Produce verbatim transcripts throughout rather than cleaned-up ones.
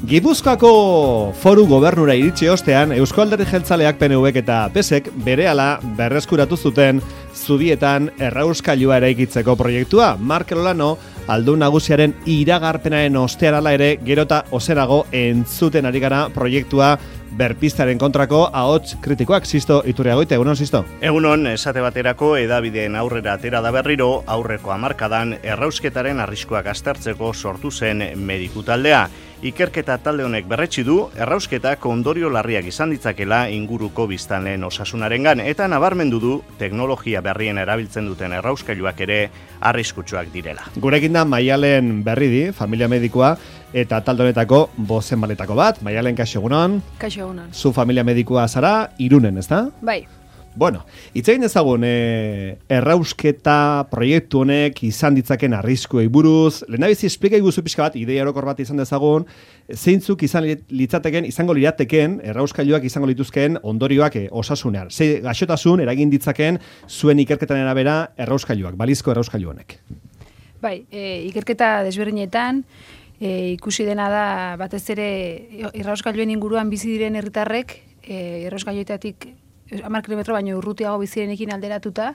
Gipuzkoako foru gobernura iritsi ostean, Eusko Alderdi Jeltzaleak P N Vek eta P S Ek berehala berreskuratu zuten Zubietan errauskailua eraikitzeko proiektua. Markel Olano, aldun nagusiaren iragarpenaren ostearala ere, gerota oserago entzuten ari gara proiektua berpistaren kontrako ahots kritikoak. Sisto Iturriagoite, egunon, Sisto? Egunon, esate baterako edabideen aurrera atera da berriro, aurreko hamarkadan errausketaren arriskoak aztertzeko sortu zen mediku taldea. Ikerketa talde honek berretsi du, errausketak ondorio larriak izan ditzakela inguruko biztanleen osasunarengan, eta nabarmendu du teknologia berrien erabiltzen duten errauskailuak ere arriskutsuak direla. Gurekin da Maialen Berridi, familia medikoa, eta talde honetako bozenbaletako bat. Maialen, kaixo egunon. Kaixo egunon. Zu familia medikoa zara, Irunen, ezta? Bai. Bueno, itzegin ezagun, e, errausketa proiektu honek izan ditzaken arriskuei buruz, lehenabizi esplika iguzu pixka bat, ideia orokor bat izan dezagun, zeintzuk izan litzateken, izango lirateken, errauskailuak izango lituzkeen ondorioak e, osasunean. Ze gaixotasun eragin ditzaken zuen ikerketan erabera errauskailuak, balizko errauskailu honek. Bai, e, ikerketa desberdinetan, e, ikusi dena da batez ere errauskailuen inguruan bizi diren herritarrek, e, errauskailuetatik hamar kilometro baino urrutiago bizirenekin alderatuta,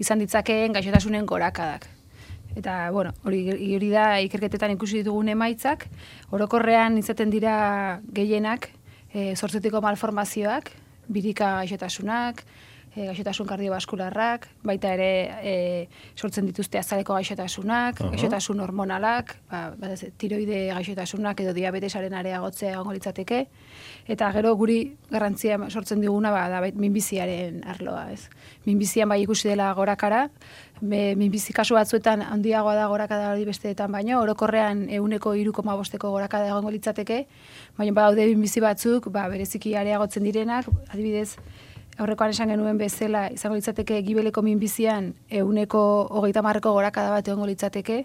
izan ditzakeen gaixotasunen gorakadak. Eta, bueno, hori, hori da ikerketetan ikusi ditugun emaitzak, orokorrean izaten dira gehienak, e, zortzetiko malformazioak, birika gaixotasunak, e, gaixotasun kardiobaskularrak, baita ere e, sortzen dituzte azaleko gaixotasunak, uh-huh. gaixotasun hormonalak, ba, batez, tiroide gaixotasunak edo diabetesaren areagotzea egongo litzateke, eta gero guri garrantzia sortzen diguna ba, da minbiziaren arloa, ez. Minbizian bai ikusi dela gorakara, be, minbizi kasu batzuetan handiagoa da gorakada hori besteetan baino, orokorrean ehuneko hiru koma bosteko gorakada egongo litzateke, baina badaude minbizi batzuk, ba, bereziki areagotzen direnak, adibidez, aurrekoan esan genuen bezala, izango litzateke gibeleko minbizian ehuneko hogeita hamarreko gorakada bat egongo litzateke,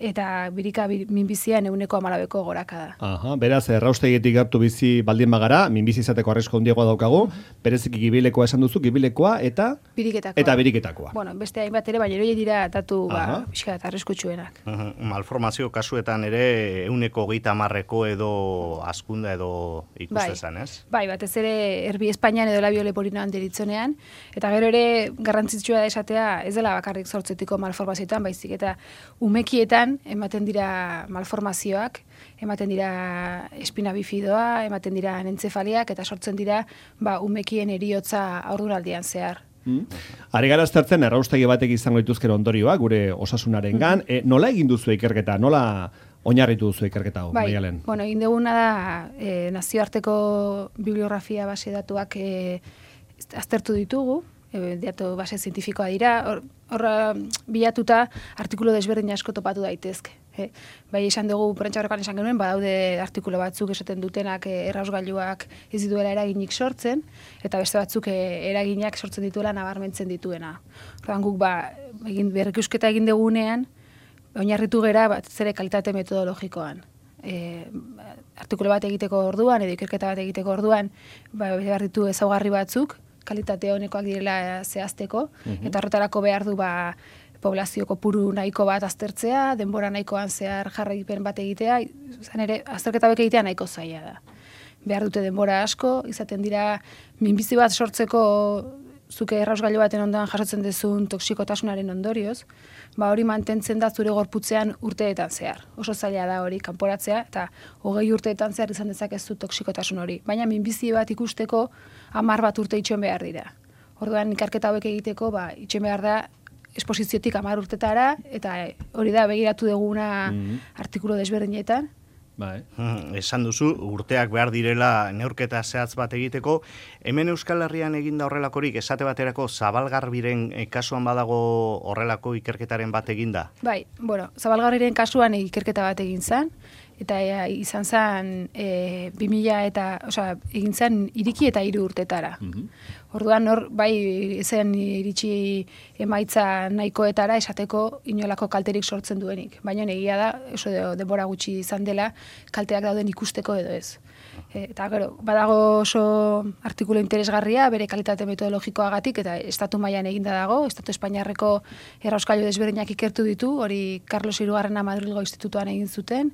eta birika minbizian ehuneko hamarabeko gorakada. Aha, beraz, erraustegitik hartu bizi baldin bagara, minbizi izateko arrisku handiagoa daukagu, bereziki gibilekoa esan duzu, gibilekoa eta biriketakoa. Eta biriketakoa. Bueno, beste hainbat ere, baina hori dira datu ba, pixka eta arriskutsuenak. Uh-huh. Malformazio kasuetan ere ehuneko hogeita hamarreko edo askunda edo ikustezan, ez? Bai, batez ere erbi Espainian edo labio leporinoan deritzonean, eta gero ere garrantzitsua da esatea ez dela bakarrik zortzetiko malformazioetan, baizik eta umekietan ematen dira malformazioak, ematen dira espina bifidoa, ematen dira anencefaliak, eta sortzen dira ba, umekien eriotza aurdunaldian zehar. Mm. Ari gara aztertzen erraustegi batek izango dituzkero ondorioa, gure osasunarengan. Mm. E, nola egin duzu ikerketa? Nola oinarritu duzu ikerketa hau, bai, Maialen? Bueno, egin duguna da e, nazioarteko bibliografia base datuak e, aztertu ditugu, e, datu base zientifikoa dira, horra bilatuta artikulu desberdin asko topatu daitezke. E, bai esan dugu, prentsa horrekan esan genuen, badaude artikulu batzuk esaten dutenak e, errausgailuak ez dituela eraginik sortzen, eta beste batzuk e, eraginak sortzen dituela nabarmentzen dituena. Horrean guk ba, egin, berrikusketa egin dugunean, oinarritu gera bat zere kalitate metodologikoan. E, artikulu bat egiteko orduan, edo ikerketa bat egiteko orduan, ba, behar ditu ezaugarri batzuk, kalitate honekoak direla zehazteko, uh-huh. eta horretarako behar du ba, poblazio kopuru nahiko bat aztertzea, denbora nahikoan zehar jarraipen bat egitea, izan ere, azterketa hauek egitea nahiko zaila da. Behar dute denbora asko, izaten dira, minbizi bat sortzeko zuke errausgailu baten ondoan jasotzen dezun toksikotasunaren ondorioz, ba hori mantentzen da zure gorputzean urteetan zehar. Oso zaila da hori kanporatzea, eta hogei urteetan zehar izan dezakezu toksikotasun hori. Baina minbizi bat ikusteko hamar bat urte itxoen behar dira. Orduan ikerketa hauek egiteko, ba, itxoen behar da esposiziotik hamar urtetara, eta hori da begiratu duguna mm-hmm. artikulu desberdinetan. Bai. Hmm, esan duzu, urteak behar direla neurketa zehatz bat egiteko. Hemen Euskal Herrian eginda horrelakorik, esate baterako Zabalgarbiren kasuan badago horrelako ikerketaren bat eginda? Bai, bueno, Zabalgarbiren kasuan ikerketa bat egin zen, eta e, izan zen e, bi mila eta, osea, egin zen iriki eta hiru urtetara. Mm-hmm. Orduan hor, bai zen iritsi emaitza nahikoetara esateko inolako kalterik sortzen duenik. Baina egia da, oso denbora gutxi izan dela, kalteak dauden ikusteko edo ez. E, eta gero, badago oso artikulu interesgarria, bere kalitate metodologikoagatik, eta estatu mailan eginda dago, estatu espainiarreko errauskailu desberdinak ikertu ditu, hori Carlos hirugarrena Madrilgo Institutuan egin zuten,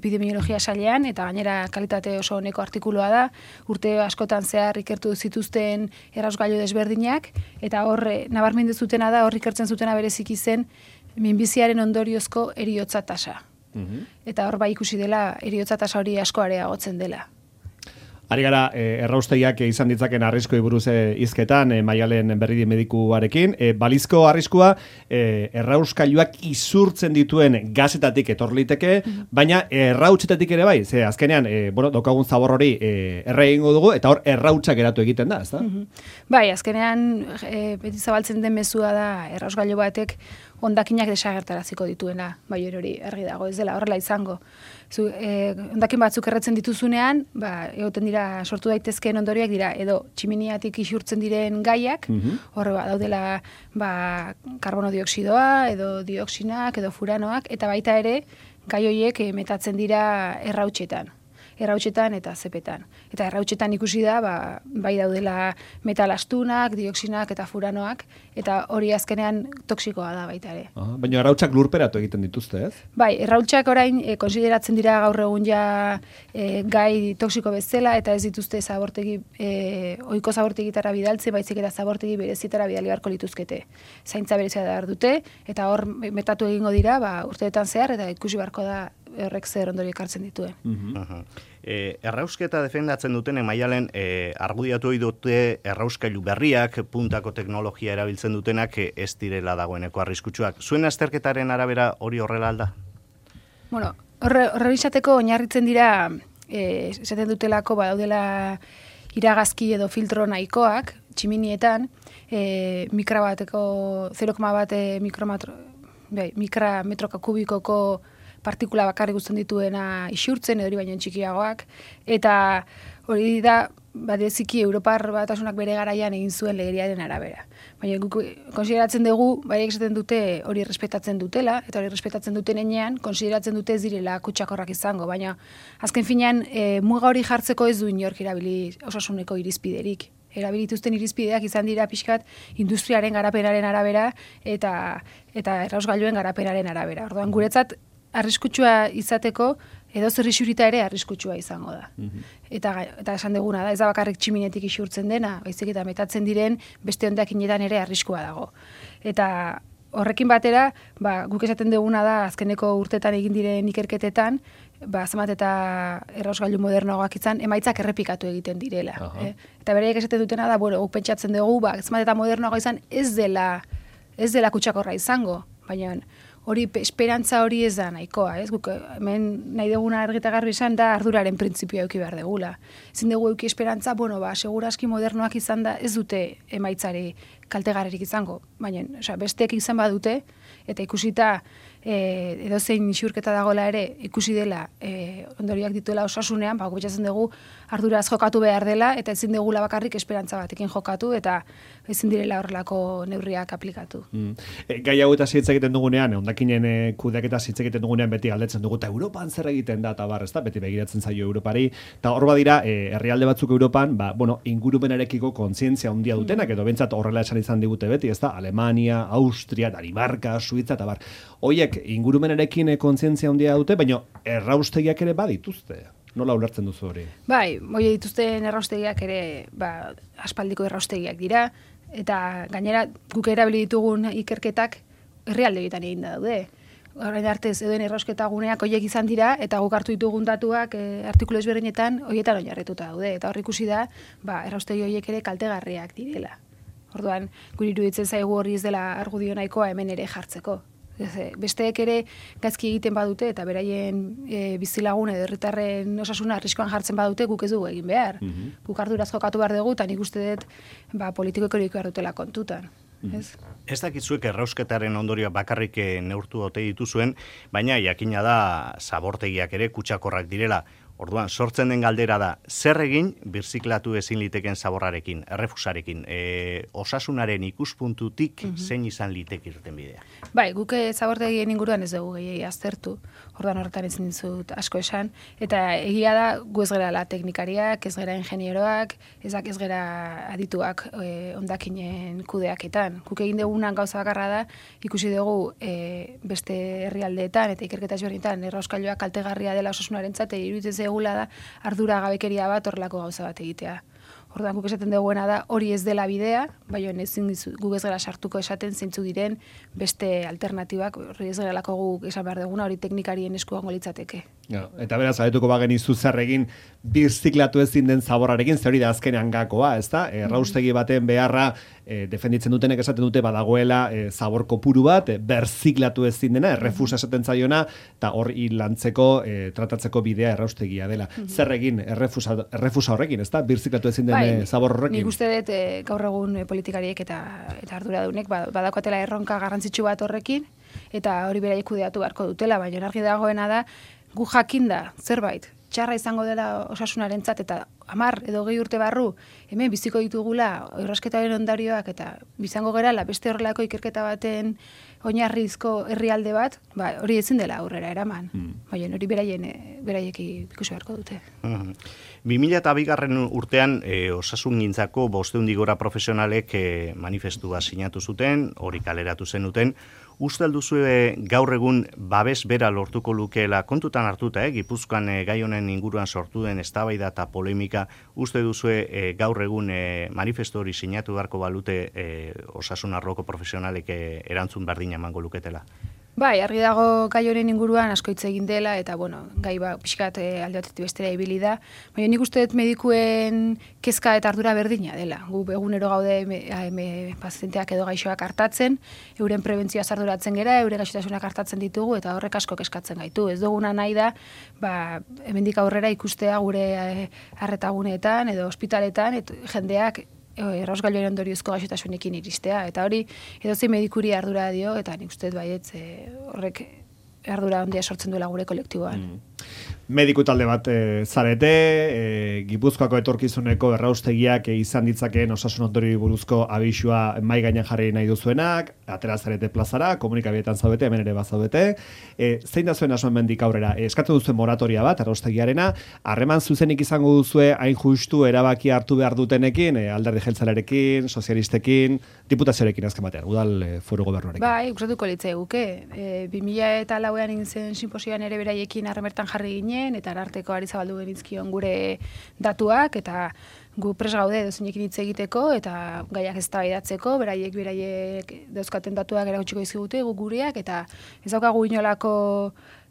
epidemiologia sailean, eta gainera kalitate oso oneko artikulua da, urte askotan zehar ikertu zituzten errausgailu desberdinak, eta hor, nabarmendu zutena da, hor ikertzen zutena bereziki zen, minbiziaren ondoriozko eriotza tasa. Mm-hmm. Eta hor bai ikusi dela, eriotza tasa hori asko areagotzen dela. Ari gara, eh, erraustegiak izan ditzaken arriskoi buruz eh, hizketan, eh, Maialen Berridi medikuarekin. Eh, balizko arriskua, eh, errauskailuak izurtzen dituen gazetatik etor liteke, mm-hmm. baina errautzetatik ere bai, ze azkenean, eh, bueno, daukagun zabor hori eh, erre egingo dugu, eta hor errautsak geratu egiten da, ez da? Mm-hmm. Bai, azkenean, eh, beti zabaltzen den mezua da, errausgailu batek hondakinak desagertaraziko dituena, bai hori argi dago, ez dela horrela izango. Zu, eh, hondakin batzuk erretzen dituzunean, ba, egoten dira, sortu daitezkeen ondorioak dira, edo tximiniatik isurtzen diren gaiak, mm-hmm. horre ba, daudela ba, karbono dioksidoa, edo dioxinak, edo furanoak, eta baita ere, gai horiek eh, metatzen dira errautsetan. errautsetan eta zepetan. Eta errautsetan ikusi da, ba, bai daudela metalastunak, dioxinak eta furanoak, eta hori azkenean toksikoa da baita ere. Aha, baina errautsak lurperatu egiten dituzte, ez? Bai, errautsak orain e, konsideratzen dira gaur egun ja e, gai toksiko bezala, eta ez dituzte zabortegi, e, ohiko zabortegitara bidaltzen, baizik eta zabortegi berezietara bidali beharko lituzkete. Zaintza berezia da dute, eta hor metatu egingo dira, ba, urteetan zehar, eta ikusi beharko da horrek zer ondorio ekartzen dituen. Uh-huh. E, errausketa defendatzen duten Maialen e, argudiatu dute errauskailu berriak, puntako teknologia erabiltzen dutenak e, ez direla dagoeneko arriskutsuak. Zuen azterketaren arabera hori horrela alda? Bueno, horre, horre izateko oinarritzen dira, e, esaten dutelako badaudela iragazki edo filtro nahikoak, tximinietan, e, mikra bateko, zero koma bat mikrometro, bai, mikra metroka kubikoko partikula bakarrik guztien dituena isurtzen, edo hori baino txikiagoak, eta hori da, badeziki Europar Batasunak bere garaian egin zuen legeriaren arabera. Baina guk konsideratzen dugu, bai esaten dute hori respetatzen dutela, eta hori respetatzen duten enean, konsideratzen dute ez direla kutsakorrak izango, baina azken finean, e, muga hori jartzeko ez du inork erabili osasuneko irizpiderik. Erabilituzten irizpideak izan dira pixkat industriaren garapenaren arabera eta, eta errausgailuen garapenaren arabera. Orduan, guretzat, arriskutsua izateko, edo zer isurita ere arriskutsua izango da. Mm-hmm. Eta, eta esan duguna da, ez da bakarrik tximinetik isurtzen dena, baizik eta metatzen diren beste hondakinetan ere arriskua dago. Eta horrekin batera, ba, guk esaten duguna da, azkeneko urtetan egin diren ikerketetan, ba, zenbat eta errausgailu modernoagoak izan, emaitzak errepikatu egiten direla. Eh? Eta bereiek esaten dutena da, bueno, guk pentsatzen dugu, ba, zenbat eta modernoagoa izan, ez dela, ez dela kutsakorra izango, baina hori esperantza hori ez da nahikoa, ez? Guk hemen nahi duguna argita garbi izan da arduraren printzipioa eduki behar degula. Ezin dugu eduki esperantza, bueno, ba, segurazki modernoak izan da, ez dute emaitzari kaltegarririk izango, baina, osea, besteek izan badute, eta ikusita e, edozein isurketa dagoela ere, ikusi dela e, ondorioak dituela osasunean, ba, gubetxatzen dugu arduraz jokatu behar dela, eta ezin dugula bakarrik esperantza batekin jokatu, eta ezin direla horrelako neurriak aplikatu. Mm. E, gai hau eta hitz egiten dugunean, hondakinen e, kudeaketa hitz egiten dugunean beti galdetzen dugu, eta Europan zer egiten da, eta bar, ez da, beti begiratzen zaio Europari, eta hor badira, e, herrialde batzuk Europan, ba, bueno, ingurumenarekiko kontzientzia handia dutenak, edo bentsat horrela esan izan digute beti, ez da, Alemania, Austria, Danimarka, Suiza, eta bar. Hoiek ingurumenarekin kontzientzia handia dute, baina erraustegiak ere badituzte. Nola ulertzen duzu hori? Bai, hoi dituzten erraustegiak ere, ba, aspaldiko erraustegiak dira, eta gainera guk erabili ditugun ikerketak herrialde egiten egin daude. Horrein artez, edoen errausketa guneak horiek izan dira, eta guk hartu ditugun datuak e, artikulu ezberdinetan horietan oinarrituta daude. Eta hor ikusi da, ba, erraustegi horiek ere kaltegarriak direla. Orduan, guri iruditzen zaigu hori ez dela argudio nahikoa hemen ere jartzeko. Besteek ere gaizki egiten badute eta beraien e, bizilagun edo herritarren osasuna arriskoan jartzen badute guk ez dugu egin behar. Mm-hmm. Guk arduraz jokatu behar dugu eta nik uste dut ba, politikoek hori behar dutela kontutan. Mm-hmm. Ez? Ez dakitzuek errausketaren ondorioa bakarrik neurtu ote dituzuen, baina jakina da zabortegiak ere kutsakorrak direla. Orduan, sortzen den galdera da, zer egin birziklatu ezin liteken zaborrarekin, errefusarekin, e, osasunaren ikuspuntutik mm -hmm. zein izan litek irten bidea? Bai, guk zabortegien inguruan ez dugu gehiagi aztertu, orduan horretan ezin dizut asko esan, eta egia da gu ez gerala teknikariak, ez gera ingenieroak, ezak ez gera adituak e, ondakinen kudeaketan. Guk egin dugunan gauza bakarra da, ikusi dugu e, beste herrialdeetan eta ikerketa ezberdinetan errauskailuak kaltegarria dela osasunarentzat, iruditzen zegula da ardura gabekeria bat horrelako gauza bat egitea. Orduan guk esaten duguena da hori ez dela bidea, baina ezin guk ez gara sartuko esaten zeintzu diren beste alternatibak, hori ez geralako guk esan behar duguna, hori teknikarien eskuango litzateke. Ja, eta beraz, abetuko bagen izu zer egin birziklatu ezin den zaborrarekin, zer hori da azkenean gakoa, ez da? Erraustegi baten beharra e, defenditzen dutenek esaten dute badagoela e, zabor kopuru bat, e, birziklatu ezin dena, errefusa esaten zaiona, eta hor lantzeko, e, tratatzeko bidea erraustegia dela. Mm -hmm. Zer egin errefusa, errefusa horrekin, ez da? Birziklatu ezin den bai, zabor horrekin. Nik uste dut e, gaur egun e, politikariek eta, eta arduradunek badakotela erronka garrantzitsu bat horrekin, eta hori beraiek kudeatu beharko dutela, baina argi dagoena da, gu jakinda zerbait txarra izango dela osasunarentzat eta hamar edo gehi urte barru hemen biziko ditugula errasketaren ondarioak eta bizango gerala beste horrelako ikerketa baten oinarrizko herrialde bat, ba, hori ezin dela aurrera eraman. Mm. Baina hori beraien beraiek ikusi beharko dute. Mm-hmm. bi mila eta bigarren urtean e, osasungintzako bostehun gora profesionalek e, manifestua sinatu zuten, hori kaleratu zenuten. Uste alduzue gaur egun babes bera lortuko lukeela kontutan hartuta, eh? Gipuzkoan e, gai honen inguruan sortu den eztabaida eta polemika, uste duzue e, gaur egun e, manifestu hori sinatu beharko balute e, osasun arloko profesionalek e, erantzun berdina emango luketela? Bai, argi dago gai honen inguruan asko hitz egin dela eta bueno, gai ba pixkat e, alde batetik bestera ibili da, baina nik uste dut medikuen kezka eta ardura berdina dela. Gu egunero gaude me, me, pazienteak edo gaixoak hartatzen, euren prebentzioa arduratzen gera, euren gaixotasunak hartatzen ditugu eta horrek asko kezkatzen gaitu. Ez duguna nahi da, ba, hemendik aurrera ikustea gure arretaguneetan edo ospitaletan et, jendeak errausgailuaren ondoriozko gaixotasunekin iristea, eta hori edozein medikuri ardura dio, eta nik uste baietz horrek ardura handia sortzen duela gure kolektiboan. Mm. Mediku talde bat e, zarete, e, Gipuzkoako etorkizuneko erraustegiak e, izan ditzakeen osasun ondori buruzko abisua mai gainean jarri nahi duzuenak, atera zarete plazara, komunikabietan zaudete, hemen ere bazaudete. E, zein da zuen asuen mendik aurrera? E, eskatu duzuen moratoria bat, erraustegiarena, harreman zuzenik izango duzue hain justu erabaki hartu behar dutenekin, e, alderdi jeltzalearekin, sozialistekin, diputazioarekin azken batean, udal e, foru gobernuarekin. Bai, gustatuko litzai guke. E, bi mila eta lauean egin zen sinposioan ere beraiekin harremertan jarri ginen, eta ararteko ari zabaldu genizkion gure datuak, eta gu pres gaude dozeinekin hitz egiteko, eta gaiak eztabaidatzeko, beraiek beraiek dauzkaten datuak erakutsiko dizkigute, gu gureak, eta ez daukagu inolako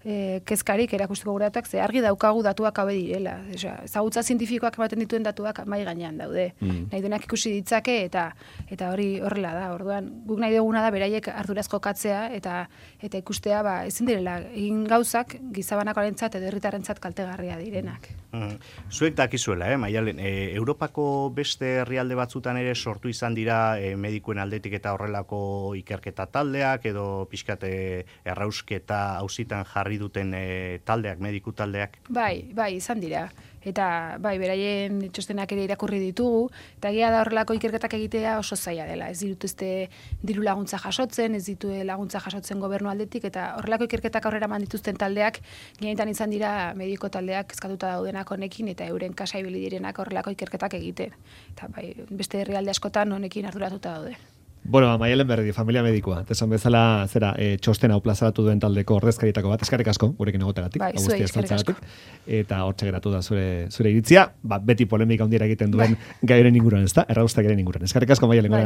e, kezkarik erakustiko gure datuak, ze argi daukagu datuak haue direla. Ezagutza zientifikoak ematen dituen datuak mai gainean daude. Mm. Nahi duenak ikusi ditzake, eta eta hori horrela da. Orduan, guk nahi duguna da beraiek ardurazko katzea, eta eta ikustea ba, ezin direla egin gauzak gizabanakoarentzat edo herritarrentzat kaltegarria direnak. Mm. Zuek dakizuela, eh, Maialen, e, Europako beste herrialde batzutan ere sortu izan dira e, medikuen aldetik eta horrelako ikerketa taldeak edo pixkat e, errausketa auzitan jarri duten e, taldeak, mediku taldeak? Bai, bai, izan dira. Eta bai, beraien txostenak ere irakurri ditugu, eta egia da horrelako ikerketak egitea oso zaila dela. Ez dituzte diru laguntza jasotzen, ez ditu laguntza jasotzen gobernu aldetik, eta horrelako ikerketak aurrera eman dituzten taldeak, gehienetan izan dira mediko taldeak kezkatuta daudenak honekin, eta euren kasa ibili direnak horrelako ikerketak egiten. Eta bai, beste herrialde askotan honekin arduratuta daude. Bueno, Maialen Berdi, familia medikua. Tesan bezala, zera, e, txosten hau plazaratu duen taldeko ordezkarietako bat. Eskerrik asko, gurekin egotegatik. Bai, zuei, eskerrik asko. Eta hortxe geratu da zure, zure iritzia. Ba, beti polemika handiera egiten duen bai. Gairen inguruan, ez da? Erraustak ere inguruan. Eskerrik asko, Maialen, bai,